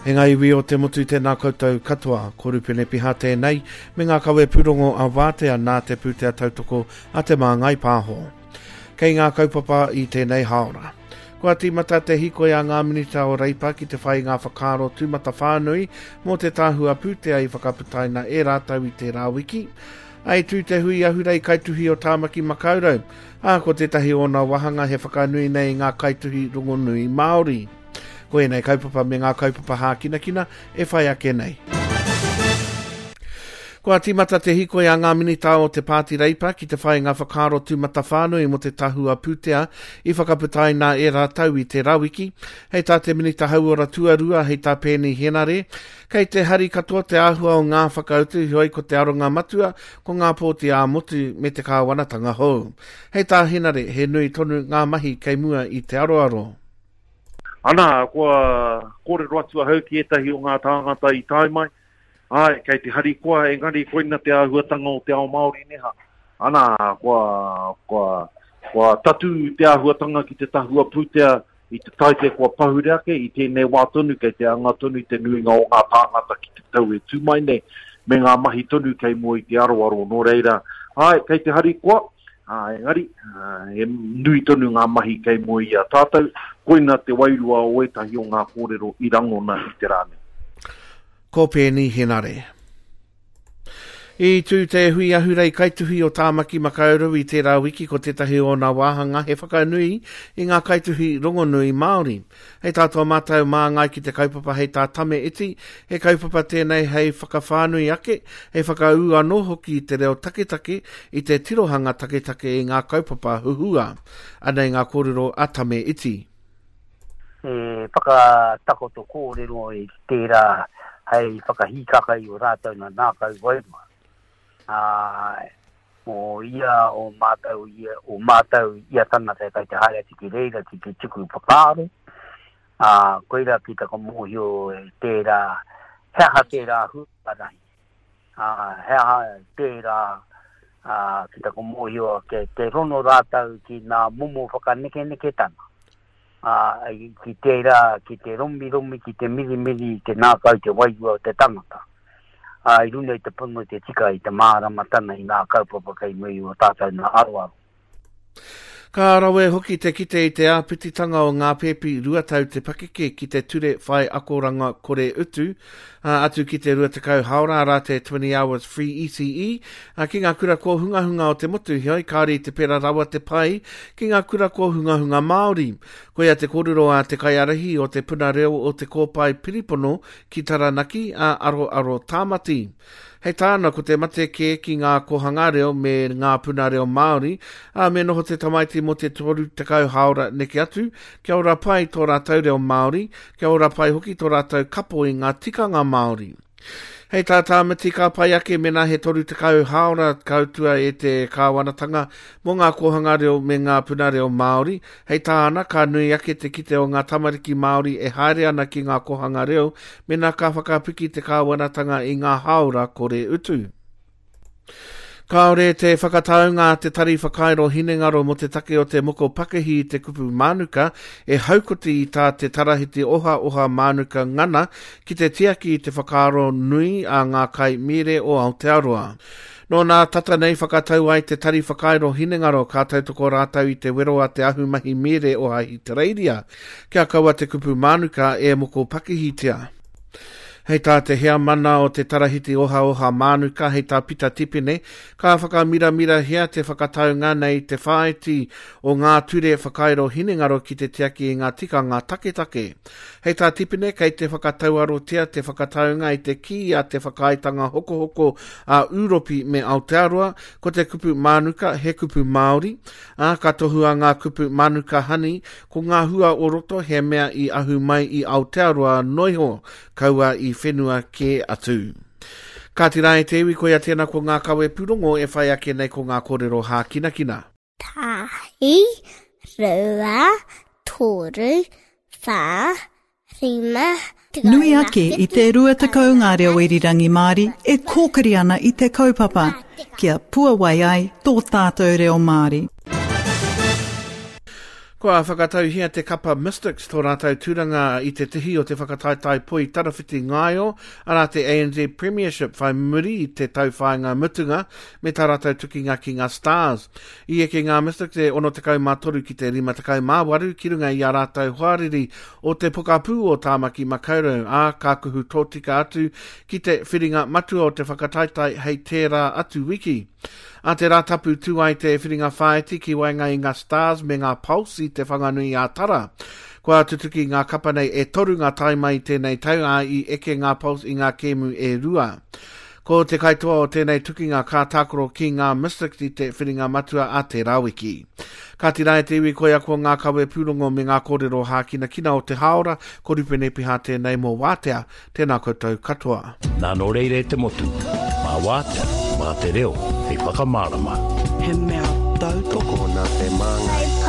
E ngā iwi o te motu tēnā koutou katoa, ko Rupene Piha tēnei, me ngā kawe pūrongo a Wātea nā te pūtea tautoko a Te Māngai Pāho. Kei ngā kaupapa i tēnei hāora. Kua tīmata te hīkoi a ngā Minita o Reipa ki te whai i ngā whakaaro tūmatawhānui mō te tahua pūtea i whakaputaina e rātou i tērā wiki. I tū te hui ahurei kaituhi o Tāmaki Makaurau, ā, ko tētahi o ōna wāhanga he whakanui nei i ngā kaituhi rongonui Māori. Ko ēnei kaupapa me ngā kaupapa hākinakina e whai ake nei. Kua tīmata te hīkoi a ngā minita o te Pāti Reipa ki te whai i ngā whakaaro tūmatawhānui mō te tahua pūtea i whakaputaina e rātou i tērā wiki. Hei tā te Minita Hauora Tuarua, hei tā Peeni Henare, kei te hari katoa te āhua o ngā whakautu, heoi ko te aronga matua ko ngā pōti ā-motu me te kāwanatanga hou. Hei tā Henare, he nui tonu ngā mahi kei mua i te aroaro. Ana, kua kōrero atu ahau ki ētahi o ngā tāngata i tae mai, āe, kei te harikoa, engari koina te āhuatanga o te ao Māori neha. Ana, kua, kua, kua tatū te āhuatanga ki te tahua pūtea i te taite kua pahure ake, i tēnei wā tonu kei te anga tonu te nuinga o ngā tāngata ki te tau e tū mai nei, me ngā mahi tonu kei mua i te aroaro. Nō reira, āe, kei te harikoa, Ā, engari, he nui tonu ngā mahi kei mua i a tātou, koina te wairua o ētahi o ngā kōrero i rangona i te rā nei. Ko Peeni Henare. I tū te hui ahurei kaituhi o Tāmaki Makaurau i tērā wiki ko tētahi o ōna wāhanga he whakanui i ngā kaituhi rongonui Māori. Hei tā tō mātou māngai ki te kaupapa hei tā Tame Iti, he kaupapa tēnei hei whakawhānui ake, hei whakaū anō hoki i te reo taketake, i te tirohanga taketake i ngā kaupapa huhua. Anei ngā kōrero a Tame Iti. He whakatakoto kōrero i tērā hei whakahīkaka i o rātou nā ngākau wairua. Ā, mō ia o mātou, ia, o mātou ia tangata kai te haere atu ki reira ki te tuku whakaaro, ā, koira ki taka mōhio e tērā, he aha tērā huarahi, ā, he aha tērā, ā, ki taka mōhio ke, te rono rātou ki ngā momo whakanekeneketanga, ā, ki tērā, ki te romiromi, ki te mirimiri i te ngākau, te wairua o te tangata. ā, i runga i te pono, i te tika, i te māramatanga i ngā kaupapa kei muri o tātou nā aroaro. Ka rawe hoki te kite i te āpititanga o ngā pēpi 2 tau te pakeke ki te ture whai akoranga kore utu, ā, atu ki te 20 haora, arā te 20 hours free ECE, ā, ki ngā kura kōhungahunga o te motu, heoi kāore i te pērā rawa te pai ki ngā kura kōhungahunga Māori. Koia te kōrero a te kaiārahi o te Puna Reo o Te Kōpae Piripono ki Taranaki a Aroaro Tāmati. Hei tāna, ko te mate kē ki ngā kōhanga reo me ngā puna reo Māori, ā, me noho te tamaiti mō te 30 hāora neke atu, kia ora pai tō rātou reo Māori, kia ora pai hoki tō rātou kapo i ngā tikanga Māori. Hei tā Tāmati ka pai ake mēnā he 30 hāora ka utua e te kāwanatanga mō ngā kōhanga reo me ngā puna reo Māori. Hei tāna, ka nui ake te kite o ngā tamariki Māori e haere ana ki ngā kōhanga reo mēnā ka whakapiki te kāwanatanga i ngā hāora kore utu. Kāore te whakataunga a te Tari Whakairo Hinengaro mō te take o te moko pakihi i te kupu mānuka e haukoti i tā te Tarahiti Ohaoha Mānuka ngana ki te tiaki i te whakaaro nui a ngā kai mīre o Aotearoa. Nō nā tata nei whakatau ai te Tari Whakairo Hinengaro ka tautoko rātou i te wero a te ahumahi mīre o Ahitereiria kia kaua te kupu mānuka e moko pakihitia. Hei tā te heamana o te Tarahiti Ohaoha Mānuka, hei tā Pita Tipene, ka whakamiramirahia te whakataunga nei te whāiti o ngā ture whakairo hinengaro ki te tiaki i ngā tikanga taketake. Hei tā Tipene, kei te whakatauarotia te whakataunga i te kī a te whakaaetanga hokohoko a Ūropi me Aotearoa, ko te kupu mānuka he kupu Māori, ā, ka tohua ngā kupu mānuka honey Ko ngā hua o roto he mea i ahu mai i Aotearoa noiho, kaua i whenua kē atu. Kāti rā e te iwi, koia tēnā ko ngā kawe pūrongo e whai ake nei ko ngā kōrero hākinakina. Tahi, rua, toru, whā, Nui ake i te 20 ngā reo irirangi Māori e kōkiri ana i te kaupapa kia puawai ai tō tātou reo Māori. Kua whakatauhia te kapa Mystics tō rātou tūranga i te tihi o te whakataetae poi tarawhiti ngaio, arā te ANZ Premiership whai muri i te tauwhāinga mutunga me tā rātou tukinga ki ngā Stars. I eke ngā Mystics e 63 ki te 58 ki runga i ā rātou hoariri o te pokapū o Tāmaki Makaurau, ā, ka kuhu tōtika atu ki te whiringa matua o te whakataetae hei tērā atu wiki. A te Rātapu tū ai te whiringa whāiti ki waenga i ngā Stars me ngā Pulse i Te Whanganui-ā-Tara. Kua tutuki ngā kapa nei e toru ngā taima i tēnei tau, ā, i eke ngā Pulse i ngā kēmu e rua. Ko te kaitoa o tēnei tukinga ka tākaro ki ngā Mystics i te whiringa matua a tērā wiki. Kāti rā e te iwi koia ko ngā kawe pūrongo me ngā kōrero hākinakina o te hāora, ko Rupene Piha tēnei mō Wātea. Tēnā koutou katoa. Nā nō reira e te motu, mā Wātea, mā te reo hei whakamārama. He mea tautoko. Tokona te māngai.